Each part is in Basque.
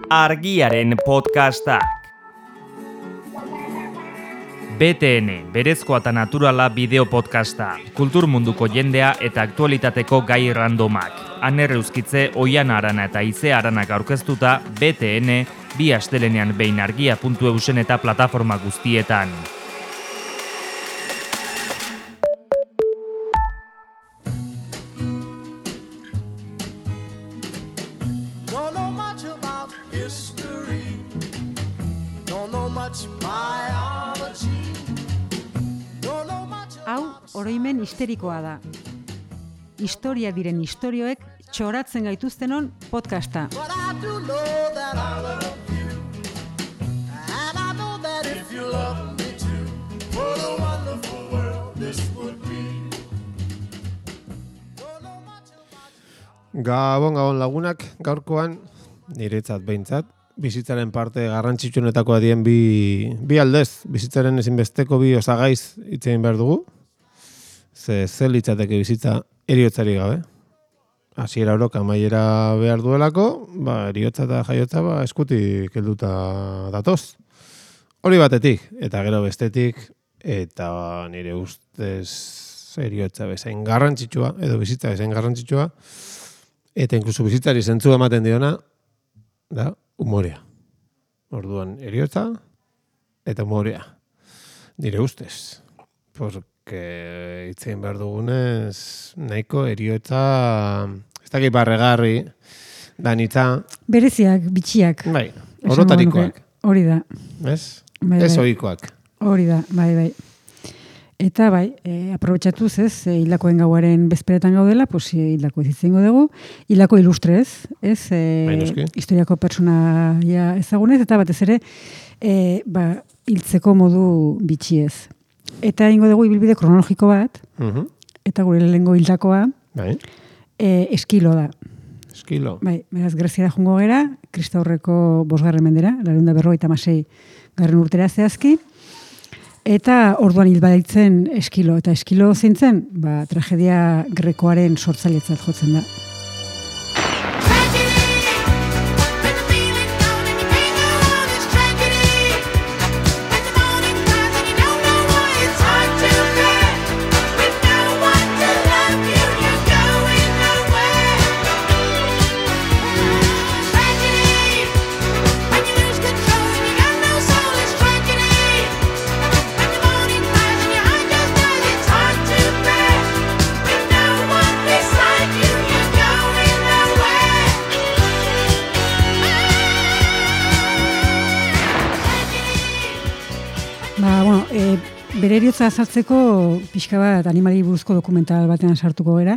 Argiaren podcastak. BTN, berezkoa eta naturala bideo podcasta. Kultur munduko jendea eta aktualitateko gai randomak. Aner Euskitze, Oiana Arana eta Ize Aranak aurkeztuta BTN, bi astelenean behin argia.eusen eta plataforma guztietan. Oroimen histerikoa da. Historia diren istorioek txoratzen gaituztenon podcasta. Gabon lagunak, gaurkoan, niretzat behintzat, bizitzaren parte garrantzitsuenetakoa dien bi aldez, bizitzaren ezinbesteko bi osagaiz hitzein behar dugu. Ze litzateke bizitza eriotzari gabe. Hasiera orok amaiera behar duelako, eriotza eta jaiotza eskutik helduta datoz. Hori batetik, eta gero bestetik, eta nire ustez eriotza bezain garrantzitsua, edo bizitza bezain garrantzitsua, eta inkluso bizitzari zentzua ematen diona, da umorea. Orduan eriotza eta umorea. Nire ustez. Itzein behar dugunez, nahiko eriotza, ez dakit barregarri, danitza. Bereziak, bitxiak. Bai, orotarikoak. Hori da. Ez? Ez ohikoak. Hori da, bai. Eta aprobetxatuz ez, hildakoen gauaren bezperetan gaudela, hildako ez izango dugu, hildako ilustrez, ez, historiako pertsonaia ezagunez, eta batez ere, hiltzeko modu bitxiez. Eta ingo dugu ibilbide kronologiko bat, eta gure lehengo hildakoa, Eskilo da. Eskilo. Beraz, Greziara jungo gera, Kristaurreko 5. mendera, 456 garren urtera zehazki, eta orduan hil baditzen Eskilo. Eta Eskilo zeintzen, tragedia grekoaren sortzailetzat jotzen da. Bere eriotza azaltzeko pixka bat animali buruzko dokumental batean sartuko gera,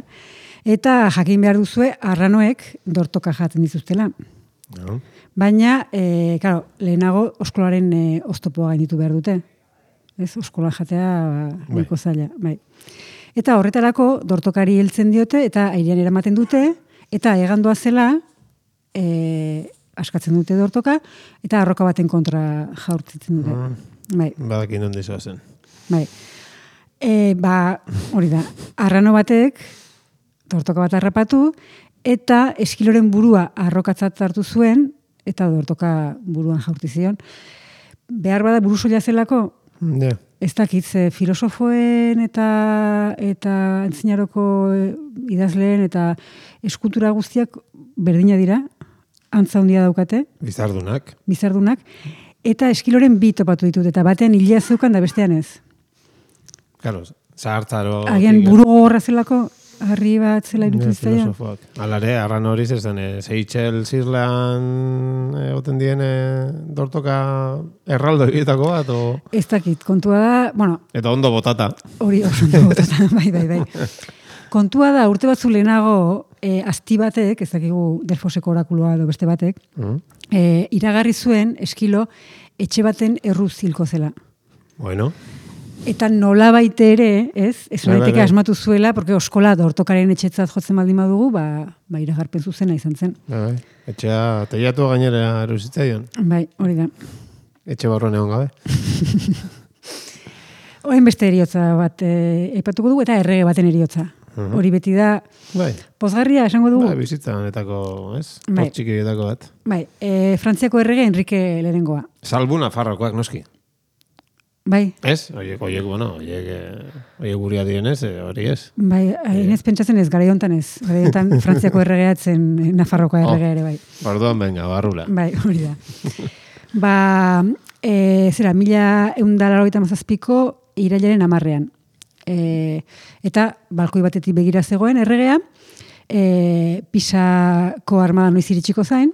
eta jakin behar duzue arranoek dortoka jaten dituztela. No. Baina, lehenago oskolaren oztopoa gainditu behar dute. Ez, oskola jatea nahiko zaila. Bai. Eta horretarako dortokari heltzen diote eta airean eramaten dute, eta egandoa zela askatzen dute dortoka, eta arroka baten kontra jaurtitzen dute. Badakin ondi zoazen. Hori da, arrano batek dortoka bat harrapatu eta Eskiloren burua arrokatzat hartu zuen eta dortoka buruan jaurti zion. Behar bada buru soila zelako? Ez dakit, filosofoen eta antzinaroko idazleen eta eskultura guztiak berdina dira, antza handia daukate. Bizardunak. Eta Eskiloren bi topatu ditut, eta batean hilea zeukan da bestean ez. Claro, zahartzaro... Agian buru gogorra zelako, harri bat zela irutu iztaia. Alare, arran hori zezen, Seychelles Island egoten diene dortoka erraldo egitako bat, o... Ez dakit, kontua da, Eta ondo botata. Hori, ondo botata, bai. Kontua da, urte batzu lehenago, azti batek, ez dakigu Delfoseko orakuloa edo beste batek, iragarri zuen Eskilo etxe baten erruz hilko zela. Bueno. Eta nola baite ere, ez daiteke asmatu zuela, porque oskola dortokaren etxetzat jotzen baldin badugu, iragarpen zuzena izan zen. Etxea, teiatu gainera eruzitzaion. Bai, hori da. Etxe barruan egon gabe. Oen beste eriotza bat aipatuko dugu, eta errege baten eriotza. Hori beti da Bai. pozgarria, esango dugu. Bai, bizitza honetako, ez? Bai. Txikietako bat. Bai, Frantziako errege Enrique lehenengoa. Salbu Nafarrokoak, noski. Bai. Ez? Oiek guria dienez, hori ez. Bai, inez pentsatzen ez, garaiontan ez. Garaiontan Frantziako erregeatzen Nafarrokoa erregea ere, bai. Orduan, venga, barrula. Bai, hori da. Zera, 1187ko irailaren 10ean. Eta balkoi batetik begira zegoen erregea, Pisako armada noiz iritsiko zain,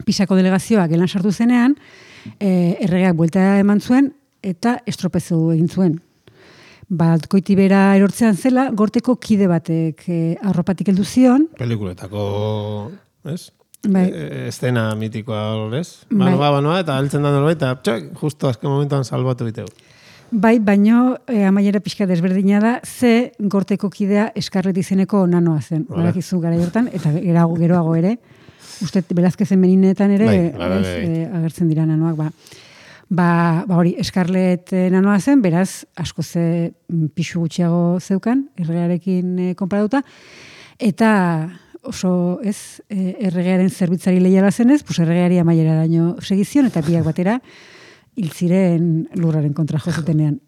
Pisako delegazioa gelan sartu zenean, erregeak buelta eman zuen, eta estropezu egin zuen. Balkoiti bera erortzean zela, gorteko kide batek arropatik heldu zion. Pelikuletako, ez? Bai. Estena mitikoa, ez? Bai. Banoa, eta heltzen da norbait, eta txak, justo azken momentuan salbatu biteu. Bai, baino amaiera pixka desberdina da, ze gorteko kidea Eskarlet izeneko nanoa zen. Badakizu gara hortan, eta geroago ere, uste Velázquezen meninetan ere agertzen dira nanoak, hori, Eskarlet nanoa zen, beraz, asko ze pixu gutxiago zeukan, erregarekin konparatuta, eta oso, ez, erregearen zerbitzari lehiala zenez, erregeari amaiera daño segizion, eta biak batera, hil ziren lurraren kontra jozutenean.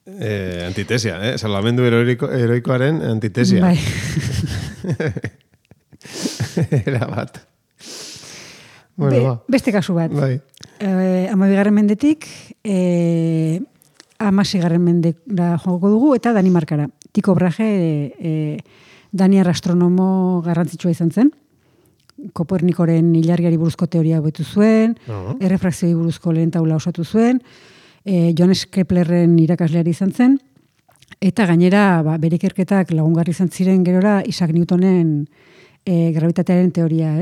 Antitesia, salamendu heroikoaren antitesia. Bai. Era bat. Bueno, beste kasu bat. Bai. 12. mendetik, 16. mendera joko dugu, eta Danimarkara. Tycho Brahe, daniar astronomo garrantzitsua izan zen. Kopernikoren ilargiari buruzko teoria hobetu zuen, errefrakzioi buruzko lehen taula osatu zuen, Johannes Keplerren irakasleari izan zen, eta gainera bere ikerketak lagungarri izan ziren gerora Isaac Newtonen gravitatearen teoria,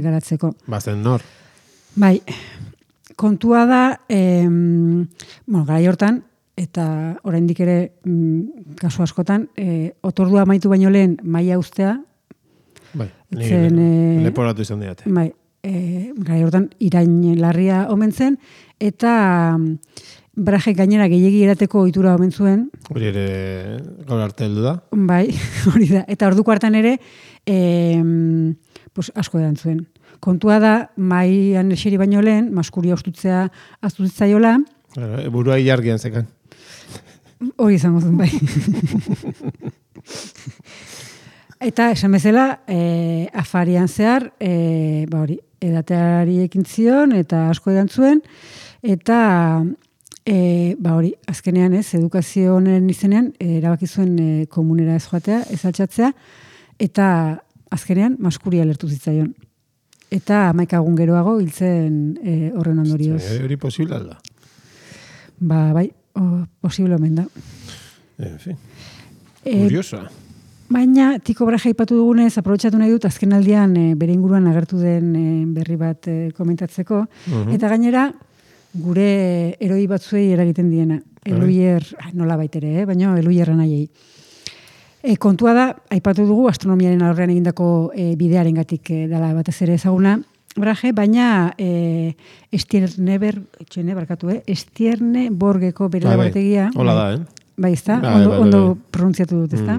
garatzeko. Bazen nor? Bai, kontua da, garai hortan, eta oraindik ere kasu askotan, otordua amaitu baino lehen maila uztea, bai, leporatu izan diate. Bai, gai hortan irain larria omen zen, eta Brahe gainera gehiegi erateko ohitura omen zuen. Hori ere gaur arte heldu da. Bai, hori da. Eta orduko hartan ere, asko edan zuen. Kontua da, maian eseri baino lehen, maskuria ostutzea aztuzitzaiola. Burua ilargian zekan. Hori izango zuen, bai. Eta esan bezala, afarian zehar, hori, edateari ekin zion, eta asko edan zuen, eta hori, azkenean edukazio honen izenean, erabaki zuen komunera ez joatea, ez altxatzea, eta azkenean maskuria lertu zitzaion. Eta 11 egun geroago hiltzen horren ondorioz. Hori posible alda? Bai, posible omen da. En fin, curiosa. Baina, Tycho Brahe aipatu dugunez, aprobetxatu nahi dut, azken aldian bere inguruan agertu den berri bat komentatzeko. Eta gainera, gure eroi batzuei eragiten diena. Eluier, nola baitere, baina eluierra nahiei. Kontua da, aipatu dugu, astronomiaren alorrean egindako bidearengatik dela batez ere ezaguna, Brahe, baina Estierne Borgeko bere laborategia. Hola da, Bai, ez da? Ondo pronuntziatu dut, ez da?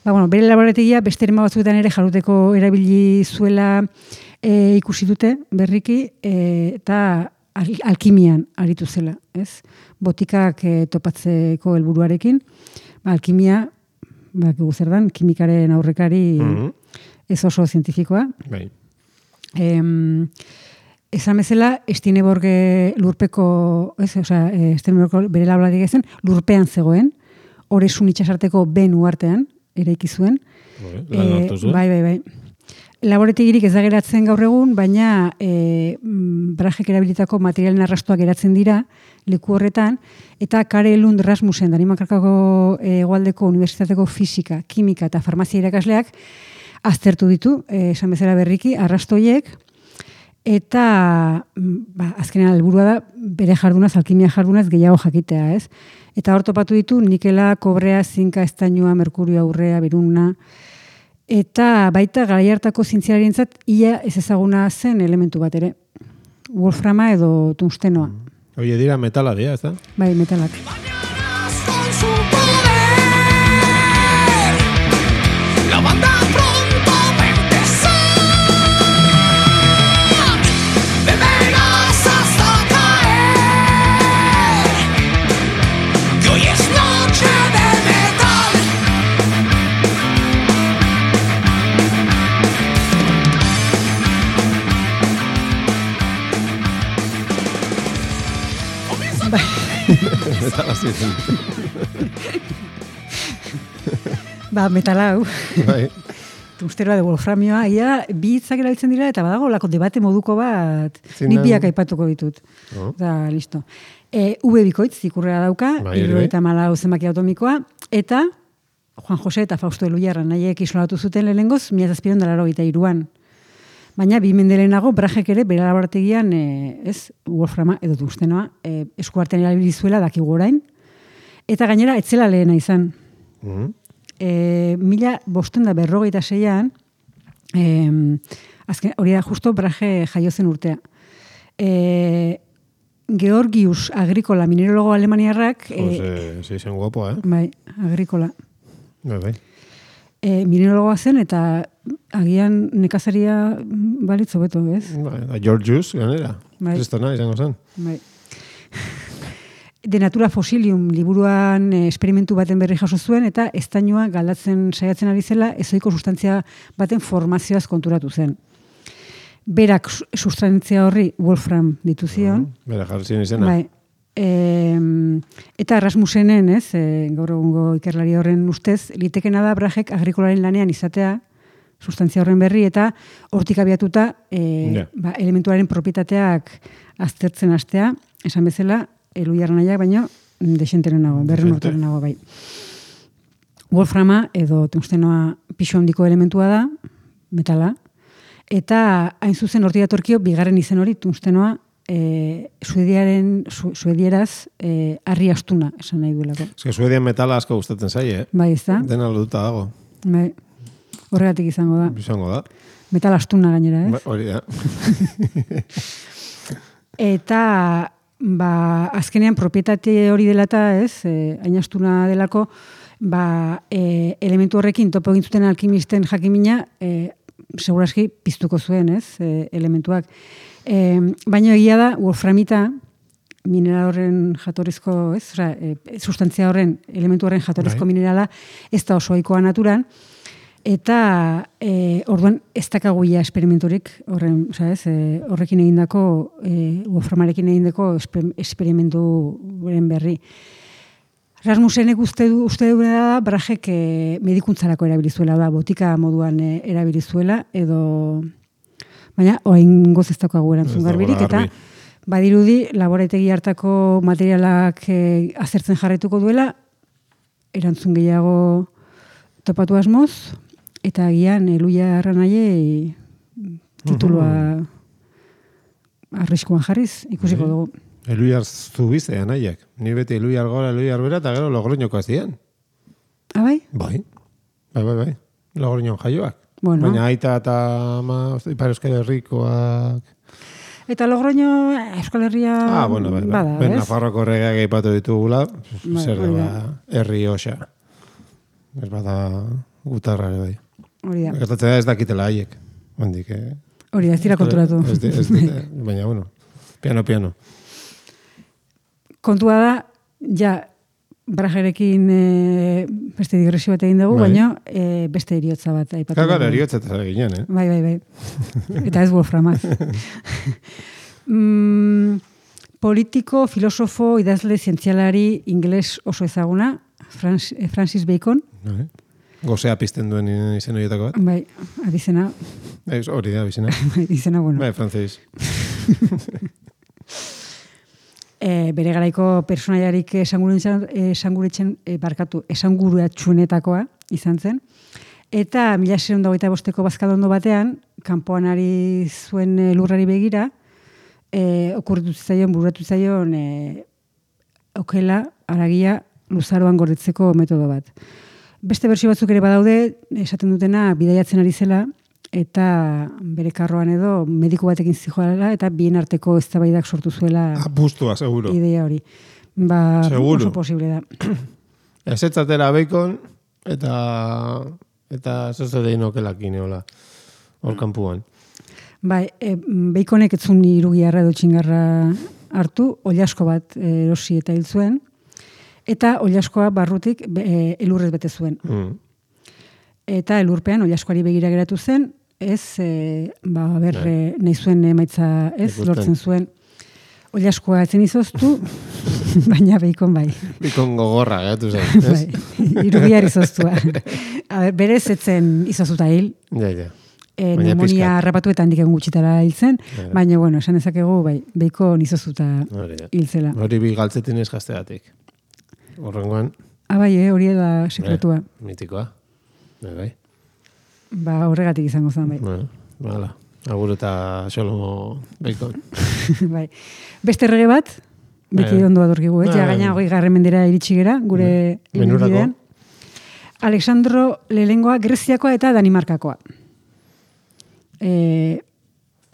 Bere laborategia beste erema batzuetan ere jaruteko erabili zuela ikusi dute berriki, eta alkimian aritu zela, ez? Botikak topatzeko helburuarekin, alkimia, zer dan, kimikaren aurrekari ez oso zientifikoa. Bai. Esan bezala, Estineborge lurpeko, Estineborge bere laborategia zen, lurpean zegoen, Oresun itxasarteko ben uartean, eraiki zuen. Bai. Laborategirik ez da geratzen gaur egun, baina Brahek erabilitako materialen arrastoak geratzen dira leku horretan, eta Karel Lund Rasmussen, Danimarkako hegoaldeko unibertsitateko fisika, kimika eta farmazia irakasleak aztertu ditu, esan bezala berriki, arrastoiek, eta azkenean helburua da bere jardunaz, alkimia jardunaz gehiago jakitea, ez? Eta hor topatu ditu nikela, kobrea, zinka, estainua, merkurioa, urrea, beruna, eta baita garai hartako zientzialarientzat ia ez ezaguna zen elementu bat ere. Wolframa edo tungstenoa. Oie dira metala dira, ez da? Bai, metalak. Metala ziren. Metala hau. Bai. Tungsteroa de wolframioa, bi hitzak erabiltzen dira, eta badago lako debate moduko bat, Zinan... nik biak aipatuko ditut. Da, listo. V bikoitz, ikurrea dauka, 74 zenbaki atomikoa, eta Juan Jose eta Fausto Elujarra nahiek isolatu zuten lehengoz, 1783an. Baina, bi mendelenago, Brajek ere, bere laborategian, wolframa edo tungstenoa, eskuartean erabili zuela dakigu orain, eta gainera, etzela lehena izan. 1556an, hori da justo Brahe jaio zen urtea. Georgius Agricola, minerologo alemaniarrak... Sí, zen guapo, Bai, Agricola. Bai. Minerologoa zen, eta agian nekazaria balitzo beto, ez? Bai, Georgius, ganera. Bai. Kristona, izango zen. Bai. De Natura Fossilium liburuan esperimentu baten berri jaso zuen, eta estainua galdatzen saiatzen ari zela, ezoiko sustantzia baten formazioaz konturatu zen. Berak sustantzia horri Wolfram ditu zion. Berak jarri zion izena. Bai. Eta Rasmusenen, gaur egungo ikerlari horren ustez, litekena da Brajek Agrikolaren lanean izatea, sustantzia horren berri, eta hortik abiatuta elementuaren propietateak aztertzen hastea, esan bezala, Elujarra nahiak, baino, desenteren berren urtaren nago, bai. Wolframa edo tungstenoa pixo handiko elementua da, metala, eta hain zuzen hortik datorkio, bigarren izen hori, tungstenoa, suedieraz, harri astuna, esan nahi duelako. Suedian metala asko gustatzen zaie, Bai, ez da? Dena lotuta dago. Bai, horregatik izango da. Izango da. Metal astuna gainera, ez? Hori da. Eta... azkenean propietate hori dela eta, hain astuna delako, elementu horrekin topo egin zuten alkimisten jakimina, seguraski piztuko zuen, elementuak. Baina egia da, wolframita, mineral horren jatorrizko, sustantzia horren, elementu horren jatorrizko minerala, ez da oso ohikoa naturan, eta orduan ez dakaguia esperimenturik horrekin egindako, wolframarekin egindako esperimenturen berri. Rasmusenek uste duena da, Brajek medikuntzarako erabilizuela, botika moduan erabilizuela, edo, baina, orain goz ez daukagu erantzun garbirik, eta badirudi laborategi hartako materialak azertzen jarraituko duela, erantzun gehiago topatu asmoz, eta agian Elujarra nahi titulua arriskuan jarriz, ikusiko dugu. Elujar zubizea nahiak. Ni beti Elujar gora, Elujar bera, eta gero Logroñoko azien. Bai? Bai. Logroñon jaioak. Bueno. Baina aita eta Ipar Euskal Herrikoak... Eta Logroño Euskal Herria bada, ez? Nafarroko regeak aipatu ditugula, zer da, herri osa. Ez bada gutarra ere bai. Hori da. Gertatzen da ez dakitela haiek. Hori da, ez dira konturatu. Baina, bueno, piano. Kontua da, Brajerekin beste digresio bat egin dugu, baina beste eriotza bat aipatu. Kakar eriotza eta ginen, Bai. Eta ez wolframaz. Politiko, filosofo, idazle, zientzialari, ingeles oso ezaguna, Francis Bacon. Gozea pizten duen izen horietako bat. Bai, abizena. Hori da, abizena. Izena, bueno. Bai, frantzis. Bere garaiko personaiarik esanguratsuenetakoa izan zen. Eta 1625ko bazkadondo batean, kanpoan ari zuen lurrari begira, bururatu zaion okela, aragia, luzaroan gordetzeko metodo bat. Beste bersio batzuk ere badaude, esaten dutena bidaiatzen ari zela, eta bere karroan edo mediku batekin zijoala, eta bien arteko eztabaidak sortu zuela bustua, seguro. Idea hori. Seguro. Oso posible da. Ezetzatera Bacon, eta zozelein okelakin eola, hor kanpuan. Bai, Baconek etzun irugiarra edo txingarra hartu, oliasko bat erosi eta hil zuen, eta oliaskoa barrutik elurrez bete zuen. Eta elurpean oliaskoari begira geratu zen, nahi zuen emaitza lortzen zuen. Oliaskoa etzen izoztu, Baina beikon bai. Beikon gogorra, gatu zen. Bai, irubiar izoztua. Berez etzen izozuta hil. Ja. Pneumonia harrapatuetan diken gutxitara hiltzen, baina, bueno, esan dezakegu, bai, beikon izozuta hiltzela. Hori bi galtzetin ez gazteatik. Horrengoan. Bai, hori da sekretua. Mitikoa. Bai. Ba, horregatik izango zen, bai. Hala, agur eta xolo beikon. Bai. Beste errege bat, beti ondo adorkigu, gaina 20. mendera iritsi gera, gure ibilbidean. Alexandro Lehenengoa Greziakoa eta Danimarkakoa.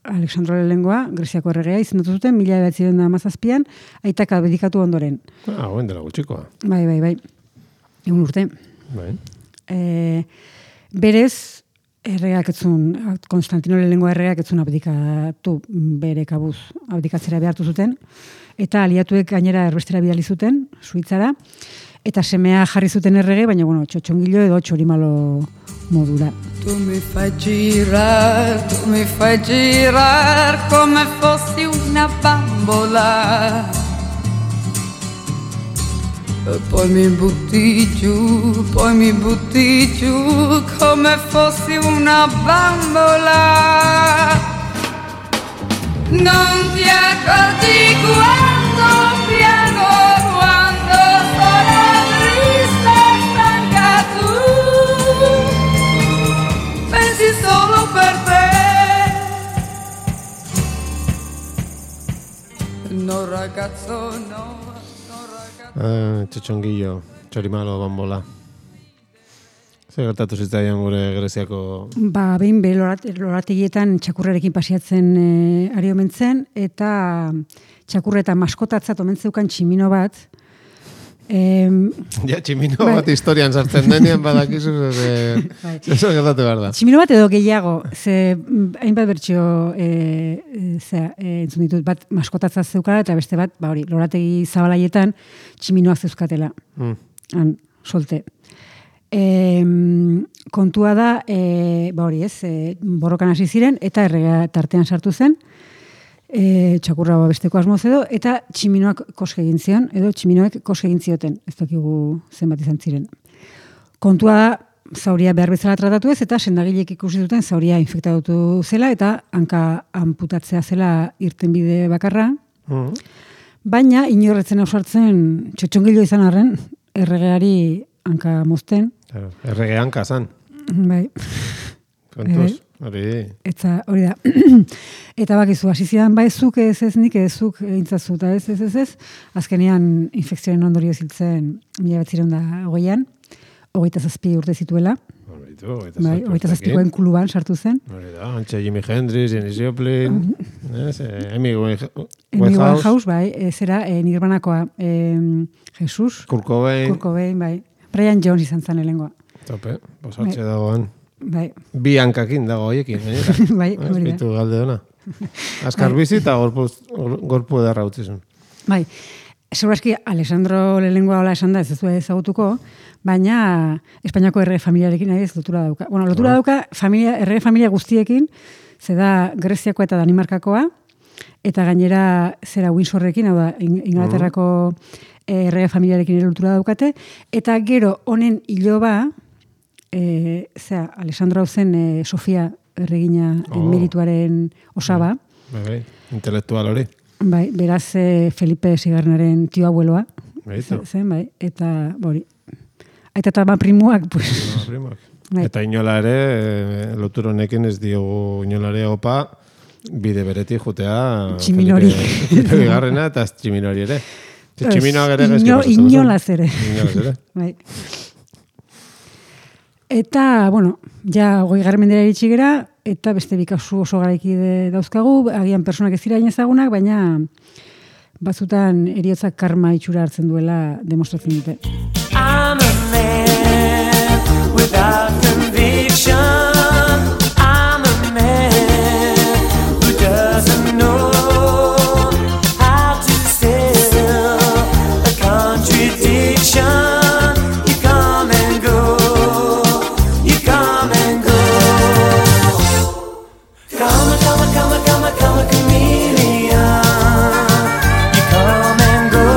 Alexandro Lehenengoa, Greziako erregea, izendatu zuten, 1917an, aitak abdikatu ondoren. Hoen dela gutxikoa. Bai. Egun urte. Bai. Berez, erregeak etzun, Konstantino Lehenengoa erregeak etzun abdikatu bere kabuz abdikatzera behartu zuten, eta aliatuek gainera erbestera bidali zuten, Suitzara, eta semea jarri zuten errege, baina, bueno, txotxongilo edo txorimalo modura. Tu mi fai girar come fossi una bambola e poi mi butti giù come fossi una bambola. Non ti accorgi quando piango, quando sono triste e stanca tu pensi solo per te. No ragazzo, no ragazzo. Txotxongillo, txorimalo, bambola. Zer gertatu zitzaian gure Greziako? Behin lorategietan txakurrarekin pasiatzen ari omen zen, eta txakurreta maskotatzat omen zeukan tximino bat. Tximino bat historian sartzen denean badakizu, zer gertatu behar da. Tximino bat edo gehiago, ze hainbat bertxio entzun ditut, bat maskotatzat zeukala, eta beste bat, lorategi zabalaietan tximinoak zeuzkatela. Han, solte. Kontua da, borrokan hasi ziren, eta errega tartean sartu zen, txakurra besteko asmoz edo, eta tximinoak koske egin zion, edo tximinoek koske egin zioten, ez dakigu zenbat izan ziren. Kontua da, zauria behar bezala tratatu ez, eta sendagilek ikusi duten zauria infektatutu zela, eta hanka amputatzea zela irtenbide bakarra, baina inorretzen ausartzen txotxongilo izan arren, erregeari hanka mozten. Errege hanka zan. Bai. Kontuz, hori. Eta hori da. Eta bakizu, hasi zidan, zuk ez nik ezuk egintzazu, eta ez. Azkenean infekzioen ondorio ziltzen 1920an, 27 urte zituela. 27koen kuluban sartu zen. Hori da, antxe Jimi Hendrix, Janis Joplin, Amy Winehouse, zera, Nirvanakoa, Jesus. Kurt Cobain, bai. Brian Jones izan zen elengoa. Tope, posatxe dagoan. Bai. Bi hankakin dago hoiekin. Bai, hori da. Espitu galde dona. Azkar bizi eta gorpu edarra utzizun. Bai. Segurazki, Alessandro Lehenengoa hola esan da, ez duzu ezagutuko, baina Espainiako errege familiarekin nahi ez lotura dauka. Bueno, lotura dauka errege familia guztiekin, ze da Greziakoa eta Danimarkakoa, eta gainera zera Windsorrekin, hau da, Inglaterrako errege familiarekin ere lotura daukate, eta gero honen iloba, Alessandro hau zen Sofia erregina merituaren osaba. Bai, intelektual hori. Bai, beraz Felipe Sigarnaren tio abueloa. Zen, bai, eta hori. Aita eta primuak, pues. Bai. Eta inola ere, lotur honekin ez diogu inolare opa, bide beretik jutea Tximinori. Felipe Bigarrena eta Tximinori ere. Tximinoak ere gezki pasatzen. Inolaz ere. Bai. Eta, bueno, ja 20. mendera iritsi gera, eta beste bikasu oso garaiki dauzkagu, agian personak ez dira ezagunak, baina batzutan heriotzak karma itxura hartzen duela demostratzen dute. I'm a man without conviction. I'm a man who doesn't know how to sell a contradiction. Come a chameleon. You come and go.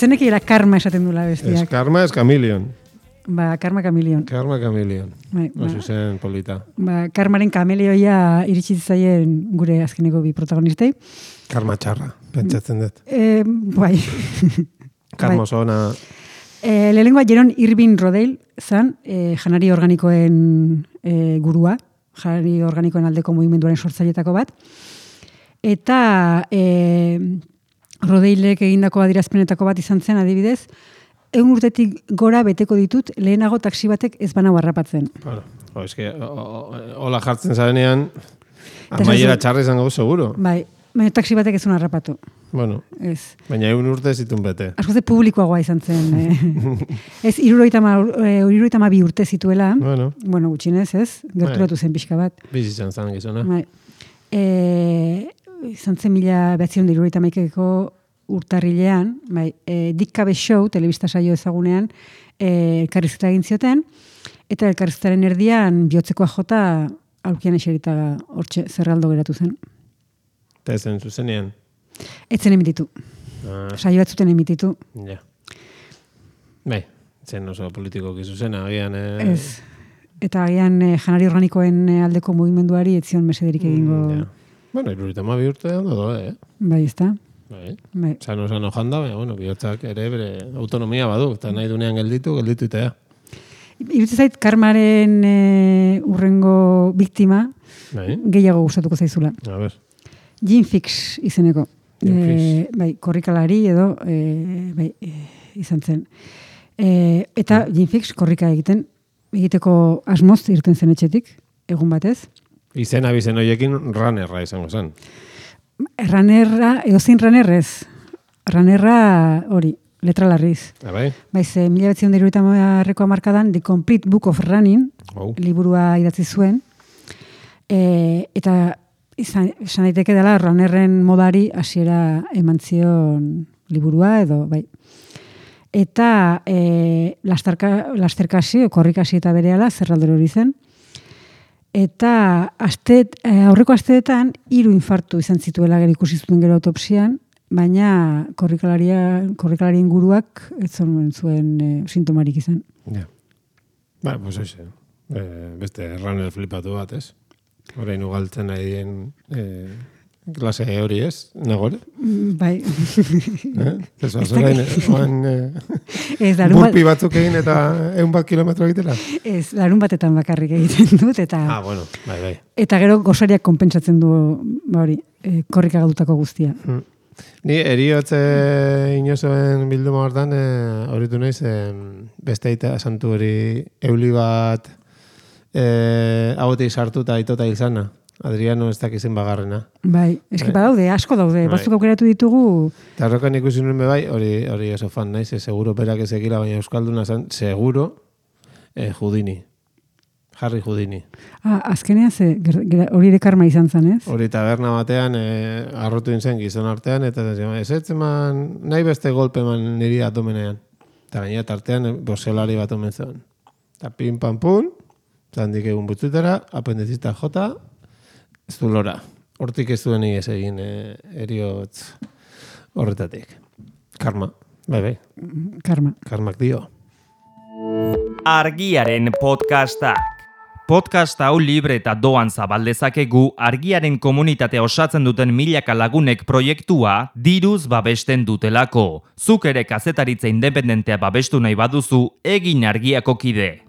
etzenekiela karma esaten dula Ez bestiak. karma, ez kamilion. Ba, karma kamilion. Karma kamilion. Bai, ba. Oso zen polita. Ba, karmaren kamelioia iritsi zaien gure azkeneko bi protagonistei. Karma txarra, pentsatzen dut. Bai. Karma oso ona. Lehenengoa Jeron Irving Rodale zan, janari organikoen gurua, janari organikoen aldeko mugimenduaren sortzailetako bat. Eta Rodaleek egindako adierazpenetako bat izan zen, adibidez, 100 urtetik gora beteko ditut lehenago taxi batek ez banau harrapatzen. Bueno, eske, hola jartzen zarenean, amaiera txarra izango seguro. Bai, baina taxi batek ez zuen harrapatu. Bueno, Ez. baina 100 urte zitun bete. Askoz de publikoagoa izan zen. Ez, 72 urte zituela. Bueno, gutxinez, ez? Gerturatu zen pixka bat. Bizitzan zan gizona. Bai. Izan zen 1971ko urtarrilean, bai, Dick Cave Show, telebista saio ezagunean, elkarrizketa egin zioten, eta elkarrizketaren erdian bihotzekoa jota aurkian eserita hortxe zerraldo geratu zen. Eta ezen zuzenean? Etzen emititu. Saio batzuten emititu. Ja. Bai, zen oso politikoki zuzena, agian... Ez. Eta agian janari organikoen aldeko mugimenduari etzion mesederik egingo... Ja. Bueno, 72 urte ondo, Bai, ezta? Bai. Sano janda, baina, bueno, bihotzak ere bere autonomia badu, eta nahi dunean gelditu itea. Iruditzen zait, karmaren urrengo biktima gehiago gustatuko zaizula. A ber. Jim Fix izeneko. Bai, korrikalari edo izan zen. Eta Jim Fix korrika egiteko asmoz irten zen etxetik, egun batez. Izen abizen horiekin runnerra izango zen. Runnerra, edozein runnerrez. Runnerra hori, letra larriz. Bai? Baiz, 1970ko hamarkadan The Complete Book of Running, liburua idatzi zuen, eta esan daiteke dela runnerren modari hasiera eman zion liburua edo, bai. Eta lasterkasi, korrikasi eta berehala zerraldero hori zen. Eta aurreko asteetan 3 infartu izan zituela gero ikusi zuten gero autopsian, baina korrikalarien guruak ez zuen sintomarik izan. Ja. Ba, pues hoxe. Beste runner flipatu bat, ez? Horein ugaltzen nahi dien klase hori, ez? Nagore? Bai. Ez burpi batzuk egin eta 100 kilometro egitela? Ez, larun batetan bakarrik egiten dut. Eta, bueno, bai. Eta gero gosariak konpentsatzen du hori, korrika galdutako guztia. Ni eriotze inozoen bilduma hortan horitu naiz beste aita santu hori euli bat hauetik sartuta aitota izana. Adriano ez dakizen bagarrena. Bai, eski badaude, asko daude. Batzuk aukeratu ditugu. Eta horrekan ikusi nuen bai, hori oso fan naiz, seguro perak ezekila, baina Euskalduna zen, seguro Houdini. Harry Houdini. Azkenean hori ere karma izan zen, ez? Hori taberna batean arrotu zen gizon artean, eta ez eman nahi beste golpe eman niri atomenean. Eta gaina tartean boselari bat omen zen. Eta pin pan pun, zandik egun butzutera, apendizista jota, ez du lora. Hortik ez duen ez egin eriotz horretatik. Karma. Bai. Karma. Karmak dio. Argiaren podcastak. Podcast hau libre eta doan zabaldezakegu Argiaren komunitatea osatzen duten milaka lagunek proiektua diruz babesten dutelako. Zuk ere kazetaritza independentea babestu nahi baduzu, egin Argiako kide.